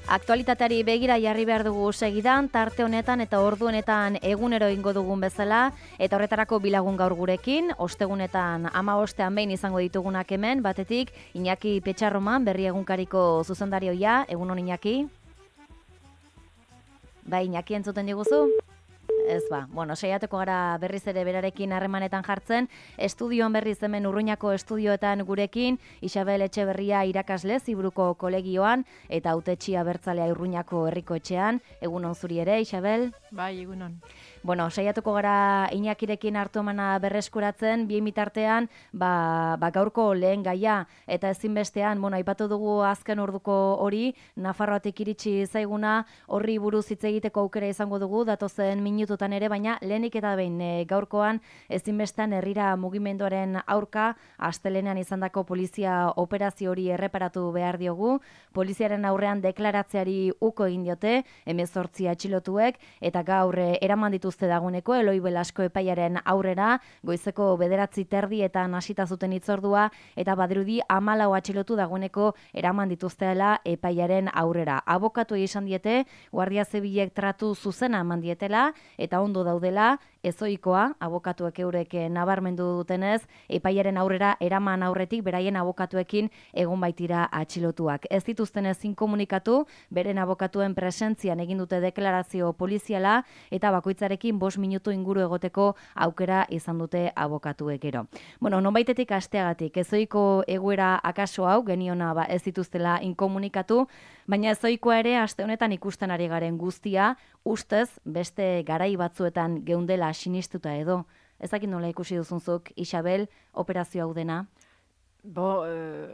Aktualitateari begira jarri behar dugu segidan, tarte honetan eta ordu honetan egunero ingo dugun bezala, eta horretarako bilagun gaur gurekin, ostegunetan 15 behin izango ditugunak hemen, batetik Iñaki Petxarroman, Berri Egunkariko zuzendarioia, egunon Iñaki? Bai, Iñaki entzuten diguzu? Ez ba, saiatuko gara berriz ere berarekin harremanetan jartzen, estudioan berriz hemen Urruñako estudioetan gurekin, Isabel Etxeberria irakasle Zibruko kolegioan, eta hautetxi abertzalea Urruñako herriko etxean, egunon zuri ere, Isabel? Bai, egunon. Saiatuko gara Iñakirekin hartu emana berreskuratzen, bien bitartean, gaurko lehen gaia, eta ezinbestean, aipatu dugu azken orduko hori, Nafarroatik iritsi zaiguna, horri buruz hitz egiteko aukera izango dugu, datozen minututan ere, baina lehenik eta behin gaurkoan ezinbestean herrira mugimenduaren aurka, astelenean izandako polizia operazio hori erreparatu behar diogu, poliziaren aurrean deklaratzeari uko egin diote, 18 atxilotuek, eta gaur eraman dituzte daguneko Eloi Belasko epaiaren aurrera, goizeko 9:30 hasita zuten hitzordua, eta badirudi 14 atxilotu dagoeneko eraman dituztela epaiaren aurrera. Abokatu izan diete, Guardia Zibilek tratu zuzena eman dietela, eta ondo daudela, ezoikoa, abokatuek eurek nabarmendu dutenez, epaiaren aurrera eraman aurretik beraien abokatuekin egon baitira atxilotuak. Ez dituzten ezin komunikatu, beren abokatuen presentzian egin dute deklarazio poliziala, eta bakoitzarekin 5 minutu inguru egoteko aukera izan dute abokatuek gero. Nonbaitetik hasteagatik, ezoiko egoera akaso hau, geniona ez dituztela inkomunikatu, baina ezoikoa ere aste honetan ikusten ari garen guztia, ustez beste garai batzuetan geundela sinistuta edo. Ezakit nola ikusi duzunzuk, Isabel, operazio hau dena?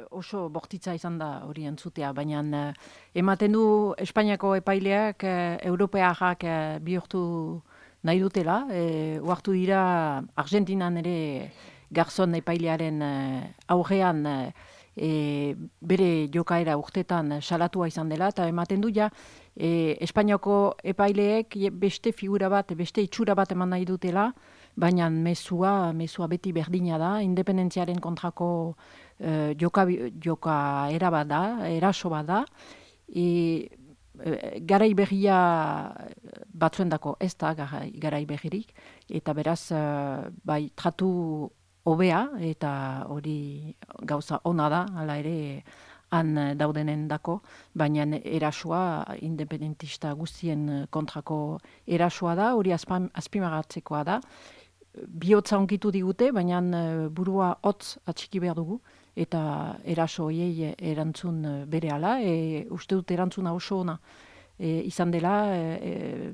Oso bortitza izan da hori entzutea, baina ematen du Espainiako epaileak europearrak bihurtu nahi dutela. Oartu dira Argentinan ere Garzon epailearen aurrean bere jokaera urtetan salatua izan dela, eta ematen du Espainiako epaileek beste figura bat, beste itxura bat eman nahi dutela, baina mezua beti berdina da, independentziaren kontrako jokaera bat da, eraso bat da, garai berria batzuendako ez da garai berririk, eta beraz tratu hobea, eta hori gauza ona da, hala ere han daudenen dako, baina erasoa independentista guztien kontrako erasoa da, hori azpimarratzekoa da. Bihotza onkitu digute, baina burua hotz atxiki behar dugu, eta eraso horiei erantzun berehala, uste dut erantzuna oso ona izan dela,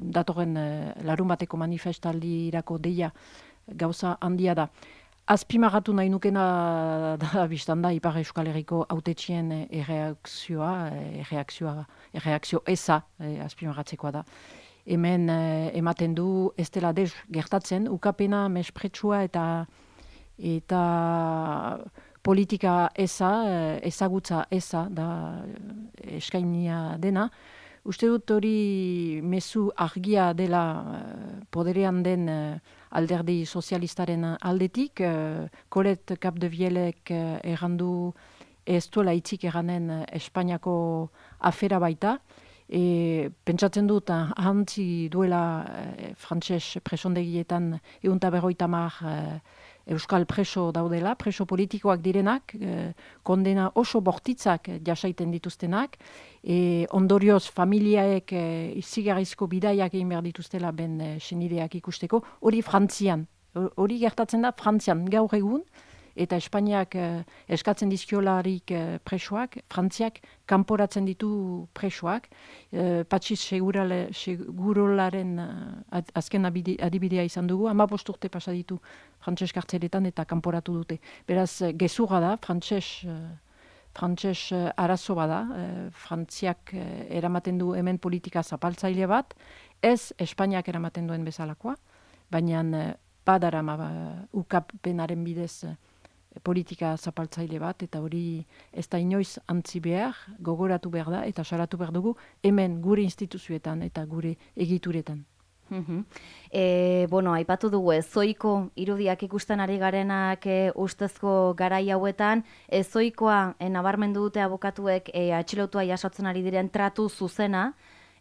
datorren larun bateko manifestaldirako deia gauza handia da. Azpimarratu nahi nukena da biztan da Ipar Euskal Herriko hautetxien erreakzio eza azpimarratzekoa da. Hemen ematen du ez dela dez gertatzen, ukapena, mespretsua eta politika eza, ezagutza eza da eskainia dena. Uste dut hori mezu argia dela poderean den alderdi sozialistaren aldetik. Colette Capdevielek errandu ez duela itzik erranen Espainiako afera baita. Pentsatzen dut ahantzi duela frantses presondegietan 150 euskal preso daudela, preso politikoak direnak, kondena oso bortitzak jasaiten dituztenak, ondorioz familiaek izigarrizko bidaiak egin behar dituztela ben senideak ikusteko, hori Frantzian, hori gertatzen da Frantzian gaur egun, eta Espainiak eskatzen dizkiolarik presoak, Frantziak kanporatzen ditu presoak. Patxiz segurolaren azken adibidea izan dugu, 15 urte pasa ditu frantses kartzeletan eta kanporatu dute. Beraz, gezurra da, frantses arazo bada, Frantziak eramaten du hemen politika zapaltzaile bat, ez Espainiak eramaten duen bezalakoa, baina badarama ukapenaren bidez politika zapaltzaile bat, eta hori ez da inoiz antzi behar, gogoratu behar da, eta salatu behar dugu hemen gure instituzioetan eta gure egituretan. Bueno, aipatu dugu ezoiko irudiak ikusten ari garenak ustezko garai hauetan, ezoikoa nabarmendu dute abokatuek atxilotua jasotzen ari diren tratu zuzena,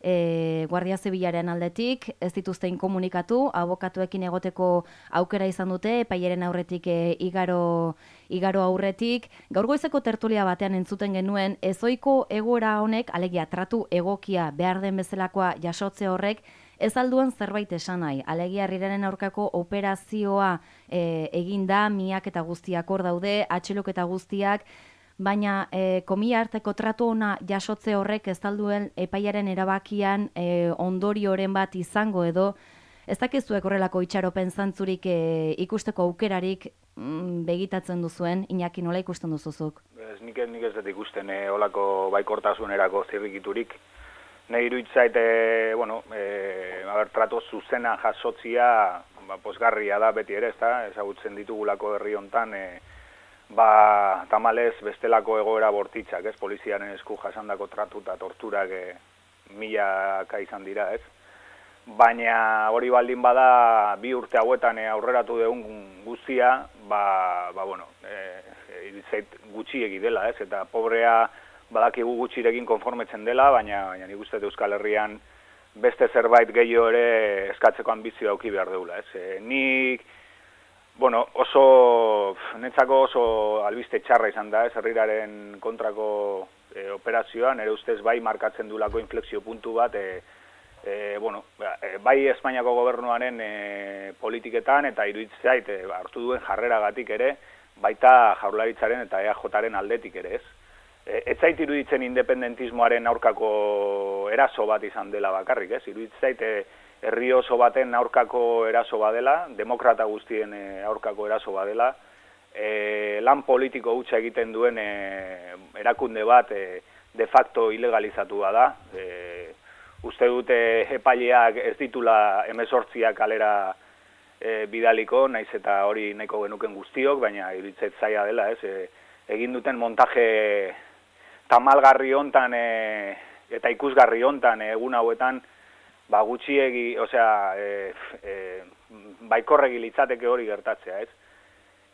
Guardia Zibilaren aldetik, ez dituzte inkomunikatu, abokatuekin egoteko aukera izan dute, epaiaren aurretik igaro aurretik. Gaur goizeko tertulia batean entzuten genuen, ezoiko egoera honek, alegia tratu egokia behar den bezalakoa jasotze horrek, ez alduen zerbait esan nahi. Alegia herriraren aurkako operazioa egin da, miak eta guztiak hor daude, atxiloketa guztiak, baina komila arteko tratu ona jasotze horrek ez alduen epaiaren erabakian ondorioren bat izango edo, ez dakizuek horrelako itxaropen zantzurik ikusteko aukerarik begitatzen duzuen, Iñaki, nola ikusten duzuzuk? Nik ez dut ikusten olako baikortasunerako zirrikiturik. Nahi iruditzait, trato zuzena jasotzia posgarria da beti ere, ezagutzen ditugulako herri hontan, tamalez bestelako egoera bortitzak, poliziaren esku jasandako tratu eta torturak milaka izan dira, Baina hori baldin bada 2 urte hauetan aurreratu dugun guztia, iruditzait gutxiegi dela, eta pobrea badakigu gutxirekin konformetzen dela, baina nik uste Euskal Herrian beste zerbait gehiago ere eskatzeko ambizioa auki behar deula. Nik, netzako oso albiste txarra izan da, herriraren kontrako operazioan, ere ustez bai markatzen duelako inflexio puntu bat, bai Espainiako gobernuaren politiketan eta iruditzait hartu duen jarreragatik ere, baita Jaurlaritzaren eta EAJaren aldetik ere, Ez zait iruditzen independentismoaren aurkako eraso bat izan dela bakarrik, Iruditzait herri oso baten aurkako eraso badela, demokrata guztien aurkako eraso badela, lan politiko hutsa egiten duen erakunde bat de facto ilegalizatua da. Uste dute epaileak ez ditula 18 kalera bidaliko, naiz eta hori nahiko genuken guztiok, baina iruditzait zaila dela, egin duten montaje tamalgarri hontan eta ikusgarri hontan egun hauetan gutxiegi, baikorregi litzateke hori gertatzea,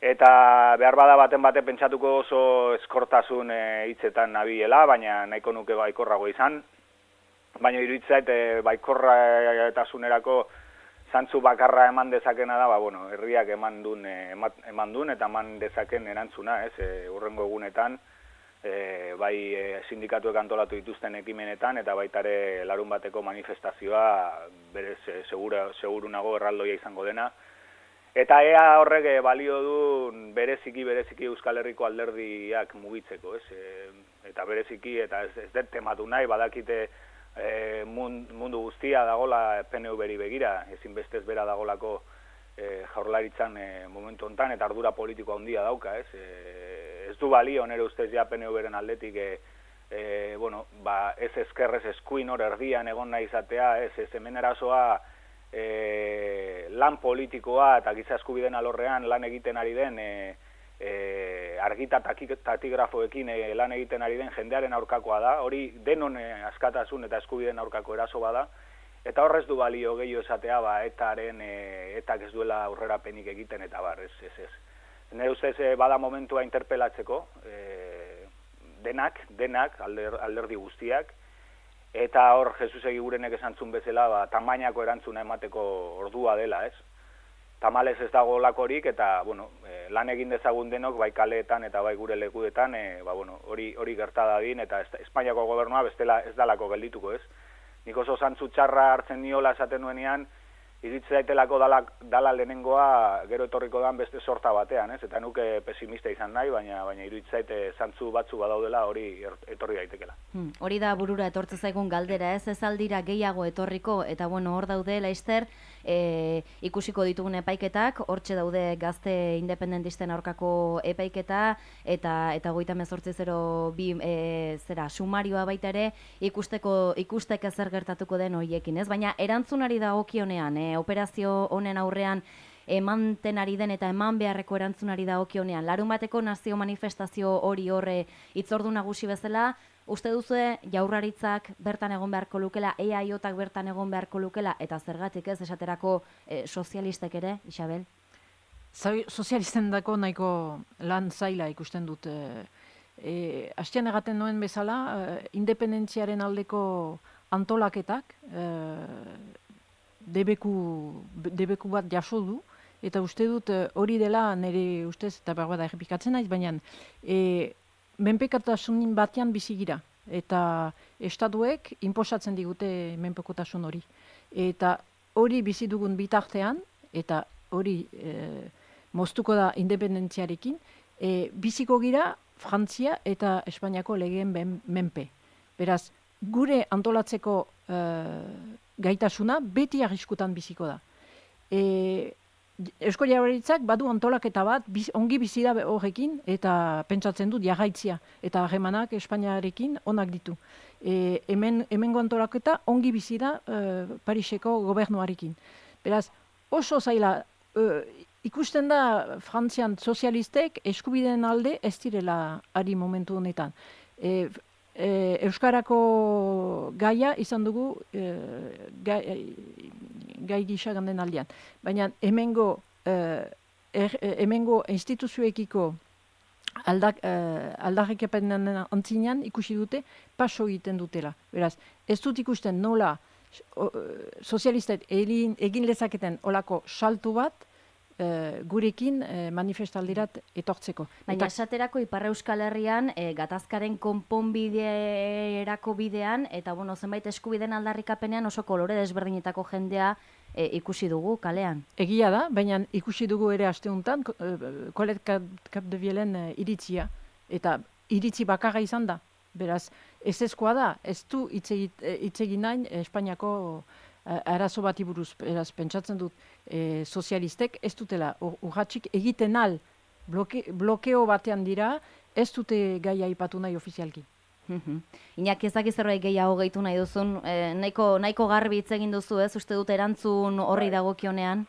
Eta behar bada baten bate pentsatuko oso eskortasun hitzetan nabilela, baina nahiko nuke baikorrago izan. Baina iruditzait baikorratasunerako zantzu bakarra eman dezakena da, herriak eman duen eta eman dezaken erantzuna, hurrengo egunetan, bai sindikatuek antolatu dituzten ekimenetan, eta baitare larun bateko manifestazioa berez seguru nago erraldoia izango dena. Eta ea horrek balio du bereziki Euskal Herriko alderdiak mugitzeko, eta bereziki, eta ez dut tematu nahi, badakite mundu guztia dagola PNV-ri begira, ezinbestez bera dagolako Jaurlaritzan momentu hontan, eta ardura politiko handia dauka, ez du balio nere ustez ja PNV-ren aldetik, ez ezkerrez eskuin hor erdian egon nahi izatea, ez hemen erasoa lan politikoa eta giza eskubideen alorrean lan egiten ari den argita tatigrafoekin lan egiten ari den jendearen aurkakoa da, hori denon askatasun eta eskubideen aurkako eraso bada, eta horrez du balio gehiago esatea etak ez duela aurrerapenik egiten eta bar, ez. Nire ustez bada momentua interpelatzeko, denak, alderdi guztiak, eta hor Jesus Egigurenek esantzun bezala, tamainako erantzuna emateko ordua dela, Tamalez ez dago lakorik, eta lan egin dezagun denok, bai kaleetan eta bai gure lekuetan, hori gerta dadin, eta Espainiako gobernua bestela ez dalako geldituko, Nik oso zantzu txarra hartzen niola esaten nuenean, iritze daitelako dala lehenengoa gero etorriko dan beste sorta batean, Eta nuke pesimista izan nahi, baina iruditzait zantzu batzu badaudela hori etorri daitekela. Hori da burura etortze zaigun galdera, ez aldira gehiago etorriko, eta hor daude, Laister, ikusiko ditugun epaiketak, hortxe daude gazte independentisten aurkako epaiketa, eta 3802 sumarioa baita ere, ikusteke zer gertatuko den horiekin, Baina erantzunari dagokionean, operazio honen aurrean emanten ari den eta eman beharreko erantzunari dagokionean, larun bateko nazio manifestazio hori horre itzordu nagusi bezala, Uste duzue Jaurlaritzak bertan egon beharko lukela, EAJak bertan egon beharko lukela, eta zergatik ez esaterako sozialistek ere, Isabel? Sozialisten dako nahiko lan zaila ikusten dut. Hastian egaten noen bezala, independentziaren aldeko antolaketak debeku bat jaso du, eta uste dut hori dela nire ustez, eta berbada errepikatzen naiz, baina menpekotasunin batean bizigira, eta estatuek inposatzen digute menpekotasun hori. Eta hori bizi dugun bitartean, eta hori moztuko da independentziarekin, biziko gira Frantzia eta Espainiako legeen menpe. Beraz, gure antolatzeko gaitasuna beti arriskutan biziko da. Eusko Jaurlaritzak badu antolaketa bat ongi bizi da horrekin eta pentsatzen dut jarraitzia eta harremanak Espainiarekin onak ditu. Hemengo antolaketa ongi bizi da Pariseko gobernuarekin. Beraz, oso zaila ikusten da Frantzian sozialistek eskubideen alde ez direla ari momentu honetan. Euskarako gaia izan dugu gai gisa ganden aldean. Baina hemengo instituzioekiko aldarrikapen antzinean ikusi dute paso egiten dutela. Beraz, ez dut ikusten nola sozialistek egin lezaketen olako saltu bat gurekin manifestaldirat etortzeko. Baina esaterako Ipar Euskal Herrian gatazkaren konponbiderako bidean eta zenbait eskubideen aldarrikapenean oso kolore desberdinetako jendea ikusi dugu kalean. Egia da, baina ikusi dugu ere aste honetan Colette Capdevielen iritzia eta iritzi bakarra izan da. Beraz, ezezkoa da, ez du hitz egin nahi Espainiako arazo bati buruz. Beraz, pentsatzen dut sozialistek ez dutela urratsik egiten al blokeo batean dira, ez dute gaia aipatu nahi ofizialki. Iñaki, ez dakiz zerbait gehiago gehitu nahi duzun, nahiko garbi hitz egin duzu, ez? Uste dut erantzun horri dagokionean?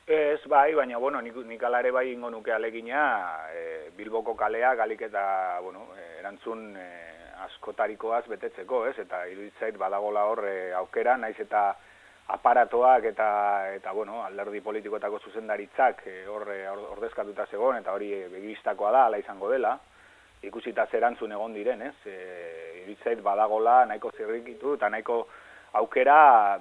Ez, bai, baina, nik ala ere bai ingo nuke alegina, Bilboko kalea, galik eta, erantzun askotarikoaz betetzeko, ez? Eta iruditzait badagola hor aukera, naiz eta aparatoak eta alderdi politikoetako zuzendaritzak ordezkatuta zegoen, eta hori begibistakoa da, ala izango dela, ikusita zerantzun egon diren, ez? Iruditzait badagola nahiko zirrikitu eta nahiko aukera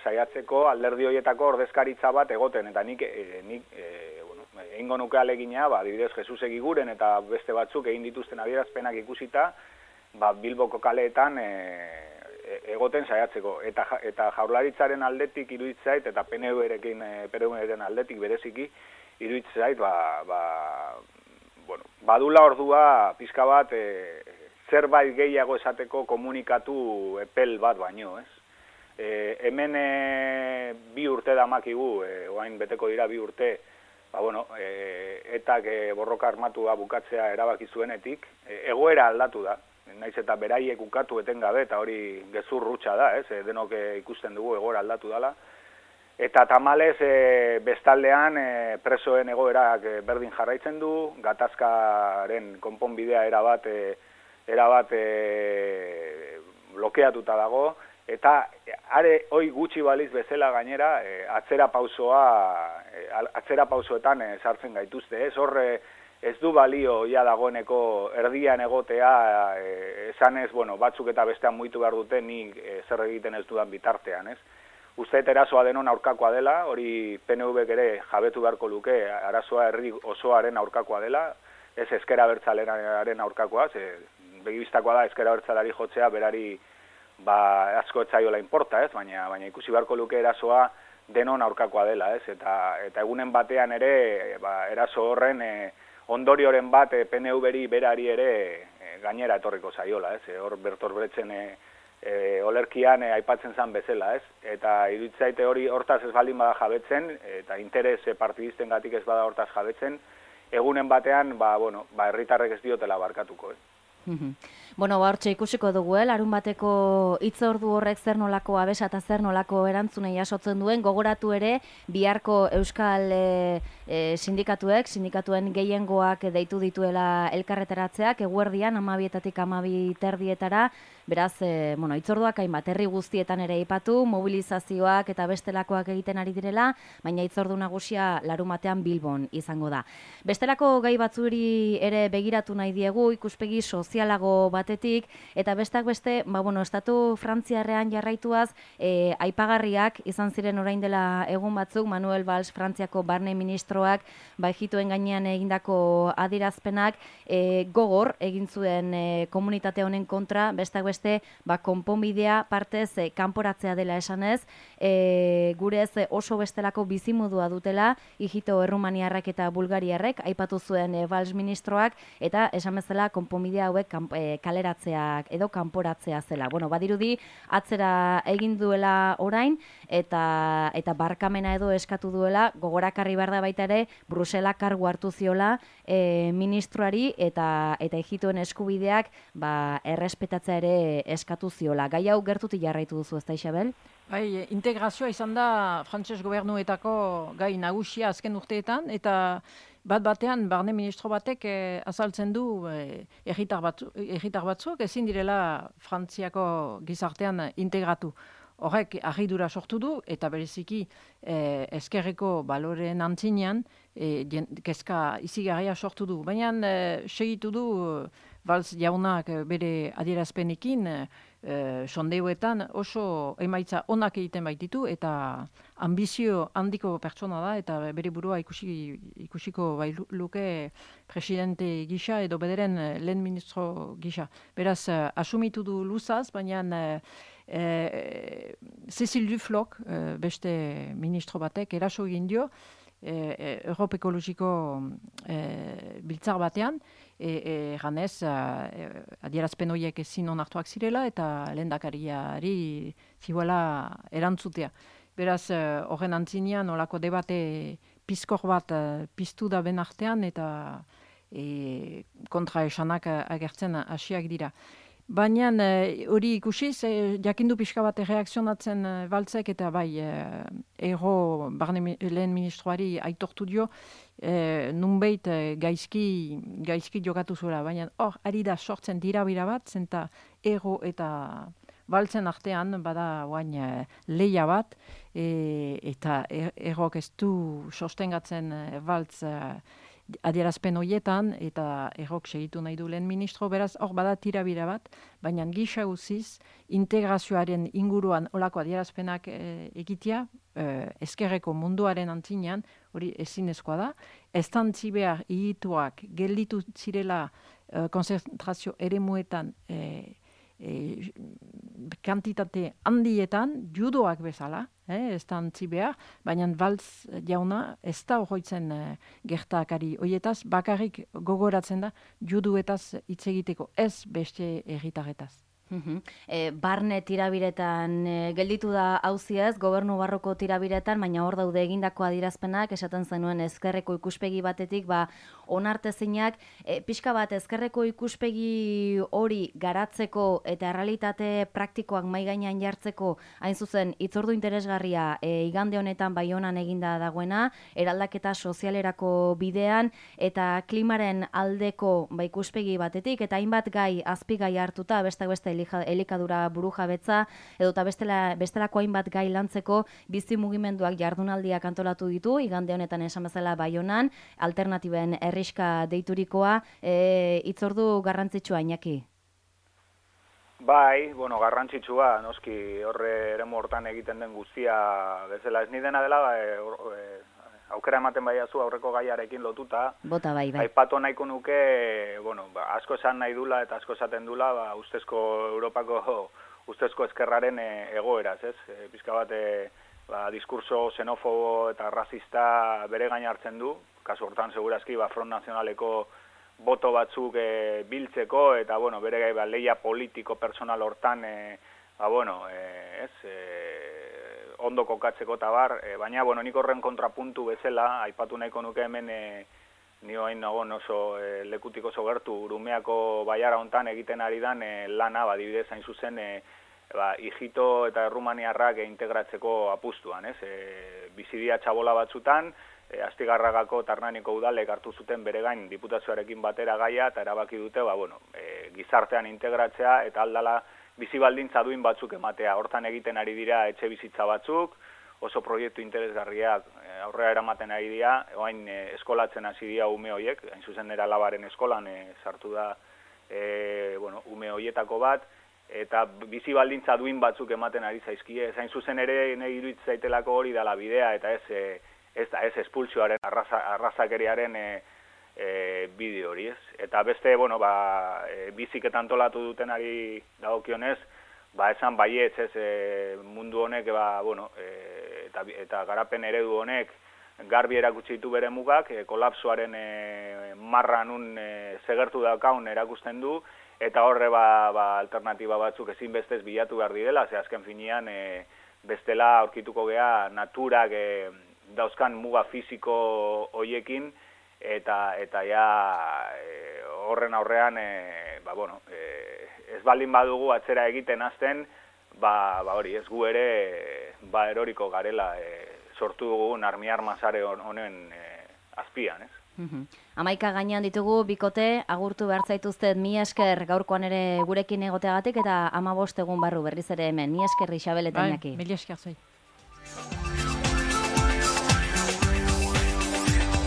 saiatzeko alderdi horietako ordezkaritza bat egoten, eta nik egingo nuke alegina, adibidez Jesus Egiguren eta beste batzuk egin dituzten adierazpenak ikusita, Bilboko kaleetan egoten saiatzeko. Eta Jaurlaritzaren aldetik iruditzait, eta PNV-ren aldetik bereziki iruditzait, badula ordua pixka bat zerbait gehiago esateko komunikatu epel bat baino, ez? Hemen 2 urte damakigu, oain beteko dira 2 urte, etak borroka armatua bukatzea erabaki zuenetik, egoera aldatu da, naiz eta beraiek ukatu etengabe, eta hori gezur rutsa da, ez? Denok ikusten dugu egoera aldatu dela. Eta tamalez bestaldean presoen egoerak berdin jarraitzen du, gatazkaren konponbidea erabat blokeatuta dago, eta are hoi gutxi baliz bezala gainera atzera pausoetan sartzen gaituzte, ez? Hor ez du balio ja dagoeneko erdian egotea, esanez, batzuk eta bestean muitu behar dute nik zer egiten ez dudan bitartean, ez? Uste erasoa denon aurkakoa dela, hori PNV-ek ere jabetu beharko luke, arazoa herri osoaren aurkakoa dela, ez ezker abertzalearen aurkakoa, begibistakoa da ezker abertzalari jotzea berari asko etzaiola inporta, ez? Baina ikusi beharko luke erasoa denon aurkakoa dela, ez? Eta egunen batean ere eraso horren ondorioren bat PNV-ri berari ere gainera etorriko zaiola, ez? Hor Bertolt Brechten olerkian aipatzen zen bezala, ez? Eta iruditzaite hori hortaz ez baldin bada jabetzen, eta interes partidistengatik ez bada hortaz jabetzen, egunen batean, herritarrek ez diotela barkatuko, ez? Bueno, hortxe ikusiko dugu, larun bateko hitzordu horrek zer nolako abesa eta zer nolako erantzunei jasotzen duen, gogoratu ere biharko euskal sindikatuen gehiengoak deitu dituela elkarretaratzeak, eguerdian 12:00 12:30, beraz, hitzorduak hainbat herri guztietan ere aipatu, mobilizazioak eta bestelakoak egiten ari direla, baina hitzordu nagusia larun batean Bilbon izango da. Bestelako gai batzuri ere begiratu nahi diegu, ikuspegi sozialago batetik, eta bestak beste, estatu frantziarrean jarraituaz, aipagarriak izan ziren orain dela egun batzuk, Manuel Valls Frantziako barne ministroak, ejituen gainean egindako adierazpenak, gogor egin zuen komunitate honen kontra, bestak beste, konponbidea partez kanporatzea dela esanez, gurez oso bestelako bizimodua dutela, ijito errumaniarrak eta bulgariarrek, aipatu zuen Valls ministroak, eta esan bezala konponbidea hauek kaleratzeak edo kanporatzea zela. Badirudi atzera egin duela orain eta barkamena edo eskatu duela, gogorakarri behar da baita ere Brusela kargu hartu ziola ministroari eta ejituen eskubideak errespetatzea ere eskatu ziola. Gai hau gertutik jarraitu duzu, ezta Isabel? Bai, integrazioa izan da frantses gobernuetako gai nagusia azken urteetan, eta batean barne ministro batek azaltzen du herritar batzuk ezin direla Frantziako gizartean integratu. Horrek harridura sortu du, eta bereziki ezkerreko baloreen antzinean kezka izigarria sortu du. Baina segitu du Valls jaunak bere adierazpenekin, sondeuetan oso emaitza onak egiten baititu, eta ambizio handiko pertsona da, eta bere burua ikusiko luke presidente gisa edo bederen lehen ministro gisa. Beraz, asumitu du luzaz, baina Cécile Duflok, beste ministro batek, eraso egin dio, Europe Ekologiko biltzar batean, ganez adierazpen horiek ezin onartuak zirela eta lehendakariari zihuela erantzutea. Beraz, horren antzinean olako debate pizkor bat piztu da ben artean eta kontraesanak agertzen hasiak dira. Baina hori ikusiz, jakindu pixka bat reakzionatzen Valtzek eta bai ero barne lehen ministroari aitortu dio, nunbait gaizki jokatu zuela. Baina hor, ari da sortzen dirabira bat, zenta ero eta Valtzen artean bada oain lehia bat, eta erok ez du sostengatzen Valtz adierazpen horietan, eta errok segitu nahi du lehen ministro, beraz, hor bada tirabira bat, baina gisa guziz, integrazioaren inguruan olako adierazpenak egitea, ezkerreko munduaren antzinean, hori ezinezkoa da, estantzi behar hituak gelditu zirela konzentrazio eremuetan kantitate handietan, judoak bezala, ez da antzi behar, baina Valls jauna ez da horretzen gertakari horietaz, bakarrik gogoratzen da juduetaz hitz egiteko, ez beste herritarretaz. Barne tirabiretan gelditu da auziaz, gobernu barroko tirabiretan, baina hor daude egindako adierazpenak, esaten zenuen ezkerreko ikuspegi batetik, onartezinak, pixka bat ezkerreko ikuspegi hori garatzeko eta errealitate praktikoak mahai gainean jartzeko, hain zuzen, hitzordu interesgarria igande honetan Baionan eginda dagoena, eraldaketa sozialerako bidean, eta klimaren aldeko ikuspegi batetik, eta hainbat gai, azpigai hartuta, beste elikadura burujabetza, edota bestelako hainbat gai lantzeko bizi mugimenduak jardunaldiak antolatu ditu, igande honetan esan bezala Baionan, alternatiben herriska deiturikoa, hitzordu garrantzitsua, Iñaki? Bai, garrantzitsua, noski horre eremu hortan egiten den guztia bezala ez ni dena dela, aukera ematen baiazu aurreko gaiarekin lotuta. Bota bai. Aipatu nahiko nuke, asko esan nahi dula eta asko esaten dula, Europako ustezko ezkerraren egoeraz, ez? Pizka bat, diskurso xenofobo eta rasista bere gain hartzen du, kasu hortan segurazki Front Nazionaleko boto batzuk biltzeko, eta bere gai lehia politiko personal hortan, ondo kokatzeko eta bar, baina nik horren kontrapuntu bezala, aipatu nahiko nuke hemen ni hain nagon oso lekutik oso gertu Urumeako baiara hontan egiten ari dan lana, adibidez hain zuzen Ijito eta Errumaniarrak integratzeko apustuan, ez? Bizidia txabola batzutan, Astigarragako Tarnaniko udalek hartu zuten bere gain diputazioarekin batera gaia eta erabaki dute, gizartean integratzea eta aldala bizi baldintza duin batzuk ematea. Hortan egiten ari dira etxe bizitza batzuk, oso proiektu interesgarriak aurrera eramaten ari dira, orain eskolatzen hasi dira ume hoiek, hain zuzen era labaren eskolan sartu da ume hoietako bat, eta bizi baldintza duin batzuk ematen ari zaizkie. Hain zuzen ere nahi iruditzen zaitelako hori dela bidea, eta ez espulsioaren, arrazakeriaren bideo hori, ez? Eta beste, bizik eta antolatu dutenari dagokionez, esan baietz, mundu honek, eta garapen eredu honek garbi erakutsi ditu bere mugak, kolapsoaren marra nun segertu daukaun erakusten du, eta horre alternatiba batzuk ezinbestez bilatu behar direla, ze azken finean bestela aurkituko gea naturak dauzkan muga fisiko hoiekin, eta horren aurrean, ez baldin badugu atzera egiten hasten, hori ez gu ere eroriko garela sortu dugun armiarma sare honen azpian, ez? 11 gainean ditugu bikote, agurtu behar zaituztet, mi esker gaurkoan ere gurekin egoteagatik eta 15 egun barru berriz ere hemen. Mi esker Isabel eta Iñaki. Mila esker zai.